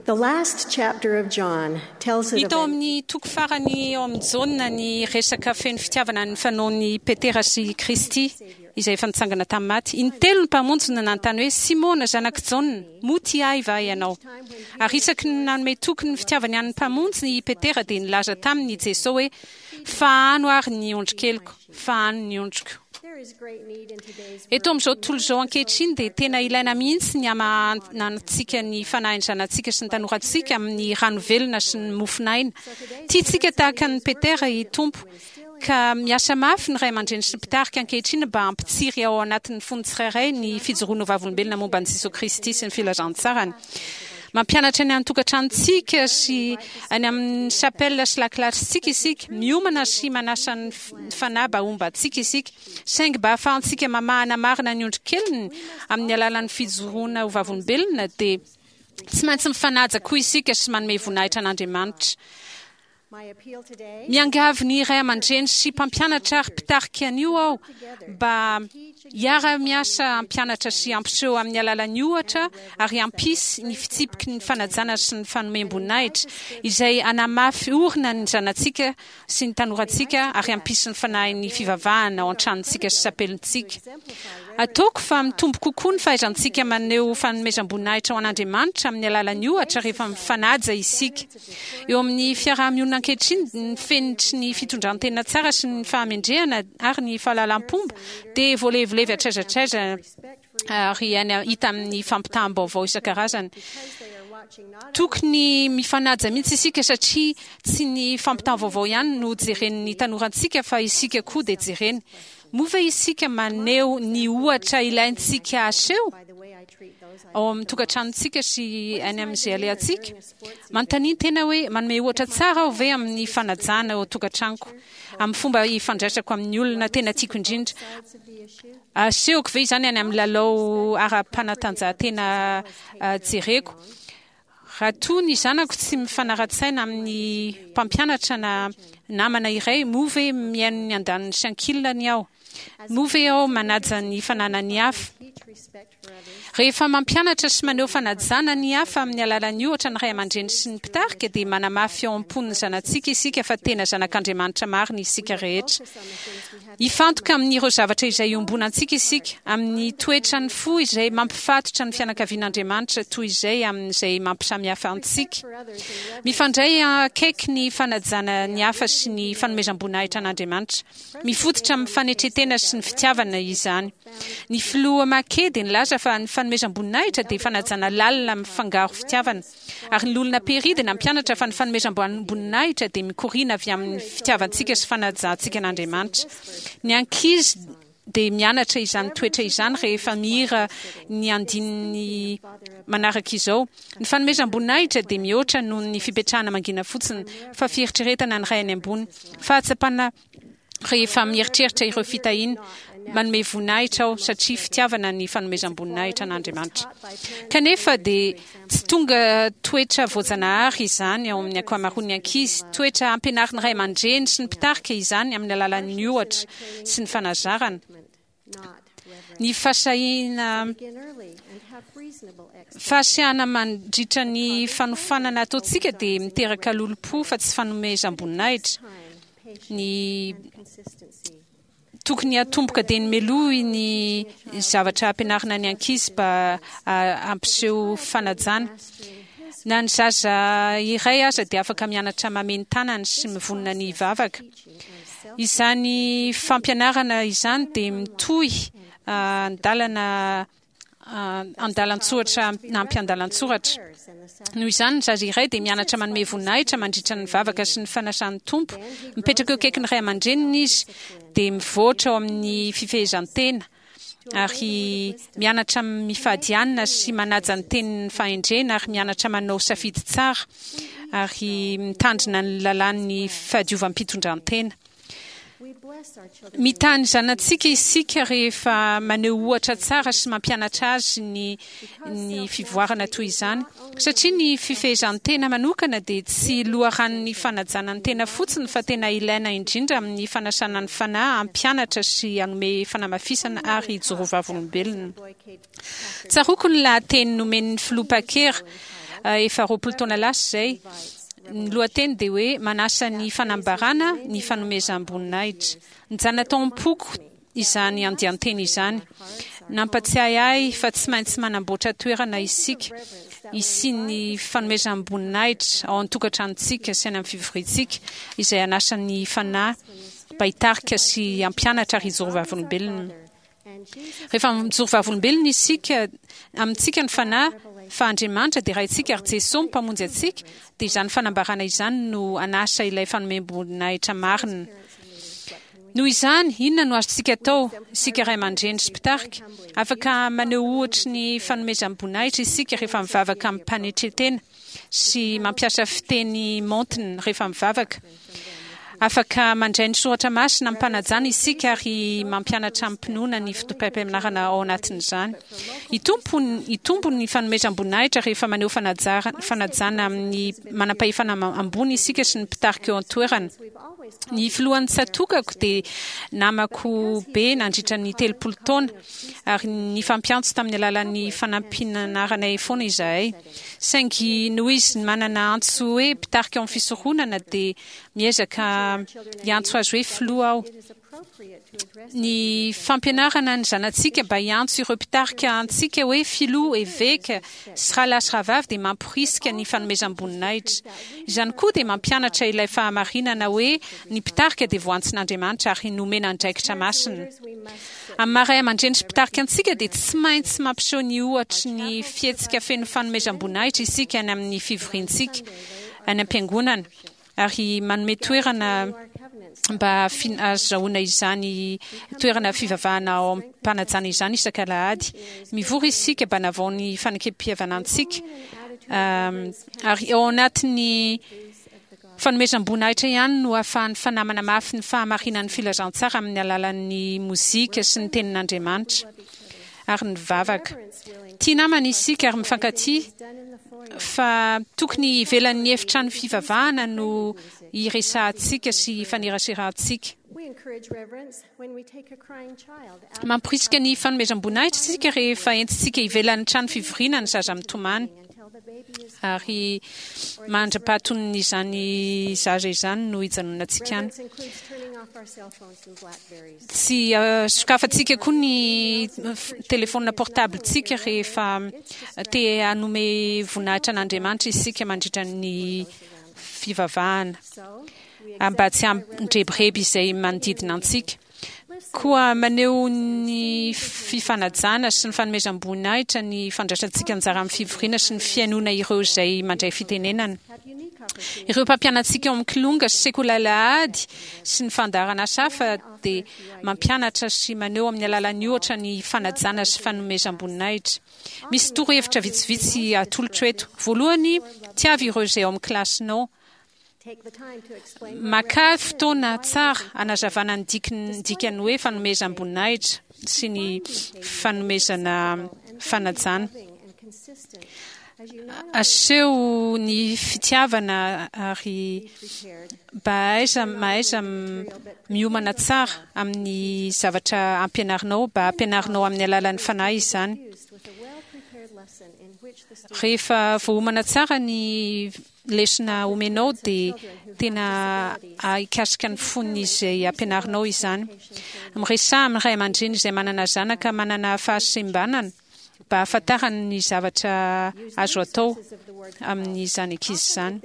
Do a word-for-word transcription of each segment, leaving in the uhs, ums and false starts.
The last chapter of John tells of Hita ao amin'ny toko farany ao amin'ny Jaona ny resaka feno fitiavana ny fanaon'i Petera sy Kristy izay efa nitsangana tamin'ny maty. Intelo ny Mpamonjy no nanontany hoe, Simona zanak'i Jaona, moa tia ahy va ianao? Ary isaky ny nanome toky ny fitiavany an'ny Mpamonjy i Petera dia nilaza taminy i Jesoa hoe, Fahano ary ny ondrikeliko, fahano ny ondriko. Eto amin'izao tontolo izao ankehitriny dia tena ilaina mihitsy ny hamahanantsika ny fanahin'ny zanatsika sy ny tanorantsika amin'ny rano velona sy ny mofon'aina. Tiantsika tahaka an'i Petera i Tompo, ka miasa mafy ny ray aman-dreny sy ny mpitarika ankehitriny mba hampitsiry ao anatin'ny fon'ny tsirairay ny fijoroana ho vavolombelona momba an'i Jesoa Kristy sy ny filazantsarany. Mampianatra any an-tokantranontsika sy any amin'ny chapelle sy lakilasintsika isika. Miomana sy manasa ny Fanahy mba homba antsika isika. Saingy mba hahafahantsika mamahana marina ny ondrikeliny amin'ny alalan'ny fijoroana ho vavolombelona dia tsy maintsy mifanaja koa isika sy manome voninahitra an'Andriamanitra. Miangavy ny ray aman-dreny sy mpampianatra ary mpitarika an'io aho mba hiara-miasa hampianatra sy hampiseho amin'ny alalan'ny ohatra ary hampisy ny fitsipiky ny fanajana sy ny fanomem-boninahitra izay hanamafy orina ny zanatsika sy ny tanorantsika ary hampisy ny fanahin'ny fivavahana ao an-tranontsika sy sapelintsika. Ataoko fa mitombo kokoa ny fahaizantsika maneho fanomezam-boninahitra ho an'Andriamanitra amin'ny alalan'ny ohatra rehefa mifanaja isika. Eo amin'ny fiaraha-mionina ankehitriny, ny fenitry ny fitondran-tena tsara sy ny fahamendrehana ary ny fahalalam-pomba dia voalevilevy hatraiza hatraiza ary hita amin'ny fampitaham-baovao isan-karazany. Tokony mifanaja mihitsy isika satria tsy ny fampitam-vaovao ihany no jeren'ny tanorantsika fa isika koa dia jereny. Moa ve isika maneho ny ohatra ilaintsika aseho ao amin'ny tokantranontsika sy any amin'izay alehantsika? Manontania tena hoe, 'Manome ohatra tsara aho ve amin'ny fanajana ao an-tokantranoko, amin'ny fomba ifandraisako amin'ny olona tena tiako indrindra? Asehoko ve izany any amin'ny lalao ara-panatanjahantena jereko? Raha toa ny zanako tsy mifanara-tsaina amin'ny mpampianatra na namana iray, moa ve mihaino ny andaniny sy ankilany aho? Moa ve aho manaja ny fananan'ny hafa? Rehefa mampianatra sy maneho fanajana ny hafa amin'ny alalan'ny ohatra ny ray aman-dreny sy ny mpitarika, dia manamafy ao am-pon'ny zanatsika isika fa tena zanak'Andriamanitra marina isika rehetra. Hifantoka amin'ireo zavatra izay iombonantsika isika, amin'ny toetran'ny fo izay mampifatotra ny fianakavian'Andriamanitra toy izay amin'izay mampisamihafa antsika. Mifandray akaiky ny fanajana ny hafa sy ny fanomezam-boninahitra an'Andriamanitra. Mifototra amin'ny fanetren-tena sy ny fitiavana izany. Ny Filoha Mackay dia nilaza fa ny fanomezam-boninahitra dia fanajana lalina mifangaro fitiavana. Ary ny Loholona Perry dia nampianatra fa ny fanomezam-boninahitra dia mikoriana avy amin'ny fitiavantsika sy fanajantsika an'Andriamanitra. Ny ankizy dia mianatra izany toetra izany rehefa mihira ny andininy manaraka izao, Ny fanomezam-boninahitra dia mihoatra noho ny fipetrahana mangina fotsiny, fa fieritreretana ny Ray any ambony, fahatsapana Rehefa mieritreritra ireo fitahiana, manome voninahitra aho satria fitiavana ny fanomezam-boninahitra an'Andriamanitra. Kanefa dia tsy tonga toetra voajanahary izany ao amin'ny ankamaroan'ny ankizy. Toetra ampianarin'ny ray aman-dreny sy ny mpitarika izany amin'ny alalan'ny ohatra sy ny fanazarana. Ny fahasahiana fahasiahana mandritra ny fanofanana ataontsika dia miteraka lolompo fa tsy fanomezam-boninahitra. Ny tokony hatomboka dia ny melohy ny zavatra ampianarina ny ankizy mba hampiseho fanajana. Na ny zaza iray aza dia afaka mianatra mamehy ny tanany sy mivonona ny hivavaka. Izany fampianarana izany dia mitohy an-dalana an-dalan-tsoratra na ampiandalan-tsoratra. Noho izany, ny zaza iray dia mianatra manome voninahitra mandritra ny vavaka sy ny fanasan'ny Tompo. Mipetraka eo akaikin'ny ray aman-dreniny izy, dia mivoatra ao amin'ny fifehezan-tena, ary mianatra mifady hanina sy manaja ny tenin'ny fahendrena, ary mianatra manao safidy tsara, ary mitandrina ny lalàn'ny fahadiovam-pitondran-tena. Mitaha ny zanatsika isika rehefa maneho ohatra tsara sy mampianatra azy ny ny fivoarana toy izany, satria ny fifehezan-tena manokana dia tsy loharanon'ny fanajana ny tena fotsiny fa tena ilaina indrindra amin'ny fanasana ny Fanahy hampianatra sy hanome fanamafisana ary hijoro vavolombelona. Tsaroako ny lahateny nomen'ny Filoha Packer Efa roapolo taona lasa izay. Ny lohateny dia hoe manasa ny fanambarana ny fanomezam-boninahitra. Nijanona tao am-poko izany andian-teny izany. Nampatsiahy ahy fa tsy maintsy manamboatra toerana isika hisian'ny fanomezam-boninahitra ao an-tokantranontsika sy any amin'ny fivoriantsika, izay anasan'ny fanahy mba hitarika sy hampianatra ary hijoro vavolombelona. Rehefa mijoro vavolombelona isika, amintsika ny fanahy fa Andriamanitra dia Raintsika ary Jesosy mpamonjy antsika, dia izany fanambarana izany no anasa ilay fanomem-boninahitra marina. Noho izany, inona no azontsika atao, isika ray aman-dreny sy mpitarika? Afaka maneho ohatry ny fanomezam-boninahitra isika rehefa mivavaka amim-panetren-tena sy mampiasa fiteny maontina rehefa mivavaka. Afaka mandray ny soratra masina amim-panajana isika ary mampianatra amim-pinoana ny fotopampianarana ao anatin'izany. Hitombo hitombo ny fanomezam-boninahitra rehefa maneho fanajara- fanajana amin'ny manam-pahefana ambony isika sy ny mpitarika eo an-toerana. Ny filohan'ny tsatòkako dia namako be nandritra ny telopolo taona ary nifampiantso tamin'ny alalan'ny fanampin'anaranay foana izahay. Saingy noho izy manana antso hoe mpitarika ao amin'ny fisoronana dia miezaka hiantso azy hoe filoha aho. Ny fampianarana ny zanatsika mba hiantso ireo mpitarika antsika hoe filoha, eveka sy rahalahy sy rahavavy dia mamporisika ny fanomezam-boninahitra. Izany koa dia mampianatra ilay fahamarinana hoe ny mpitarika dia voantsin'Andriamanitra ary nomena andraikitra masina. Amin'ny maha ray aman-dreny sy mpitarika antsika dia tsy maintsy mampiseho ny ohatry ny fihetsika feno fanomezam-boninahitra isika any amin'ny fivoriantsika any am-piangonana ary manome toerana mba ahazoana izany toerana fivavahana ao am-panajana izany isak'alahady. Mivory isika mba hanavao ny fanekem-pihavanantsika ary ao anatin'ny fanomezam-boninahitra ihany no ahafahan'ny fanahy manamafy ny fahamarinan'ny filazantsara amin'ny alalan'ny mozika sy ny tenin'Andriamanitra ary ny vavaka. Tia namana isika ary mifankatia fa tokony ivelan'ny efitrano fivavahana no iresahantsika sy ifaneraserantsika. Mamporisika ny fanomezam-boninahitra isika rehefa entintsika ivelan'ny trano fivoriana ny zaza mitomany ary mandra-pahatonon'izany zaza izany no hijanonantsika any. Tsy sokafantsika koa ny telefôna portable-tsika rehefa te hanome voninahitra an'Andriamanitra isika mandritra ny fivavahana mba tsy hampidrebireby izay manodidina antsika. Koa maneho ny fifanajana sy ny fanomezam-boninahitra ny fandraisantsika anjara amin'ny fivoriana sy ny fihainoana ireo izay mandray fitenenana. Ireo mpampianatsika ao amin'ny kilonga sy sekoly alahady sy ny fandaharana hafa dia mampianatra sy maneho amin'ny alalan'ny ohatra ny fanajana sy fanomezam-boninahitra. Misy torohevitra vitsivitsy atolotro eto. Voalohany, tiavo ireo izay ao amin'ny kilasinao. Maka fotoana tsara hanazavana ny dikany hoe fanomezam-boninahitra sy ny fanomezana fanajana. Aseho ny fitiavana ary mba aiza mahaiza miomana tsara amin'ny zavatra ampianarinao, mba ampianarinao amin'ny alalan'ny fanahy izany. Rehefa voaomana tsara ny lesona omenao dia tena hikasika ny fon'izay ampianarinao izany. Miresaha amin'ny ray aman-dreny izay manana zanaka manana fahasembanana mba hahafantarany ny zavatra azo atao amin'izany ankizy izany.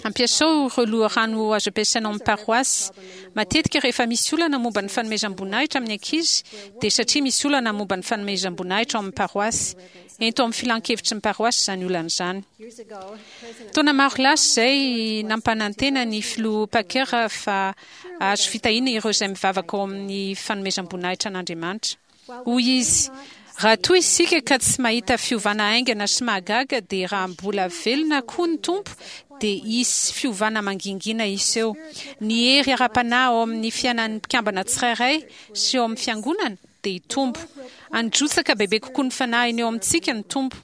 Ampiasao ireo loharano azo ampiasaina ao amin'ny paroasy. Matetika rehefa misy olana momba ny fanomezam-boninahitra amin'ny ankizy dia satria misy olana momba ny fanomezam-boninahitra ao amin'ny paroasy. Ento amin'ny filan-kevitry ny paroasy izany olana izany. Taona maro lasa izay nampanantena ny filoha Packer fa azo fitahiana ireo izay mivavaka ao amin'ny fanomezam-boninahitra an'Andriamanitra. Hoy izy, raha toa isika ka tsy mahita fiovana haingana sy mahagaga dia raha mbola velona koa ny Tompo dia hisy fiovana mangingina hiseho. Ny hery ara-panahy ao amin'ny fiainan'ny mpikambana tsirairay sy ao amin'ny fiangonana dia hitombo. Handrotsaka bebe kokoa ny fanahiny eo amintsika ny Tompo.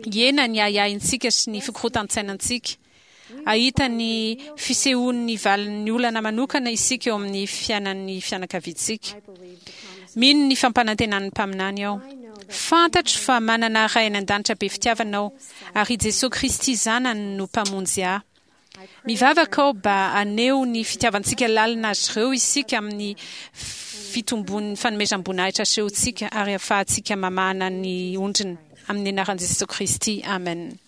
Hihena ny ahiahintsika sy ny fikorotan-tsainantsika. Hahita ny fisehoan'ny valin'ny olana manokana isika eo amin'ny fiainan'ny fianakaviantsika. Mino ny fampanantenan'ny mpaminany aho. Fantatro fa manana Ray any an-danitra be fitiavana aho, ary i Jesoa Kristy Zanany no Mpamonjy ahy. Mivavaka aho mba haneho ny fitiavantsika lalina azy ireo isika amin'ny fitombon'ny fanomezam-boninahitra asehontsika ary ahafahantsika mamahana ny ondriny. Amin'ny anaran'i Jesoa Kristy, amen.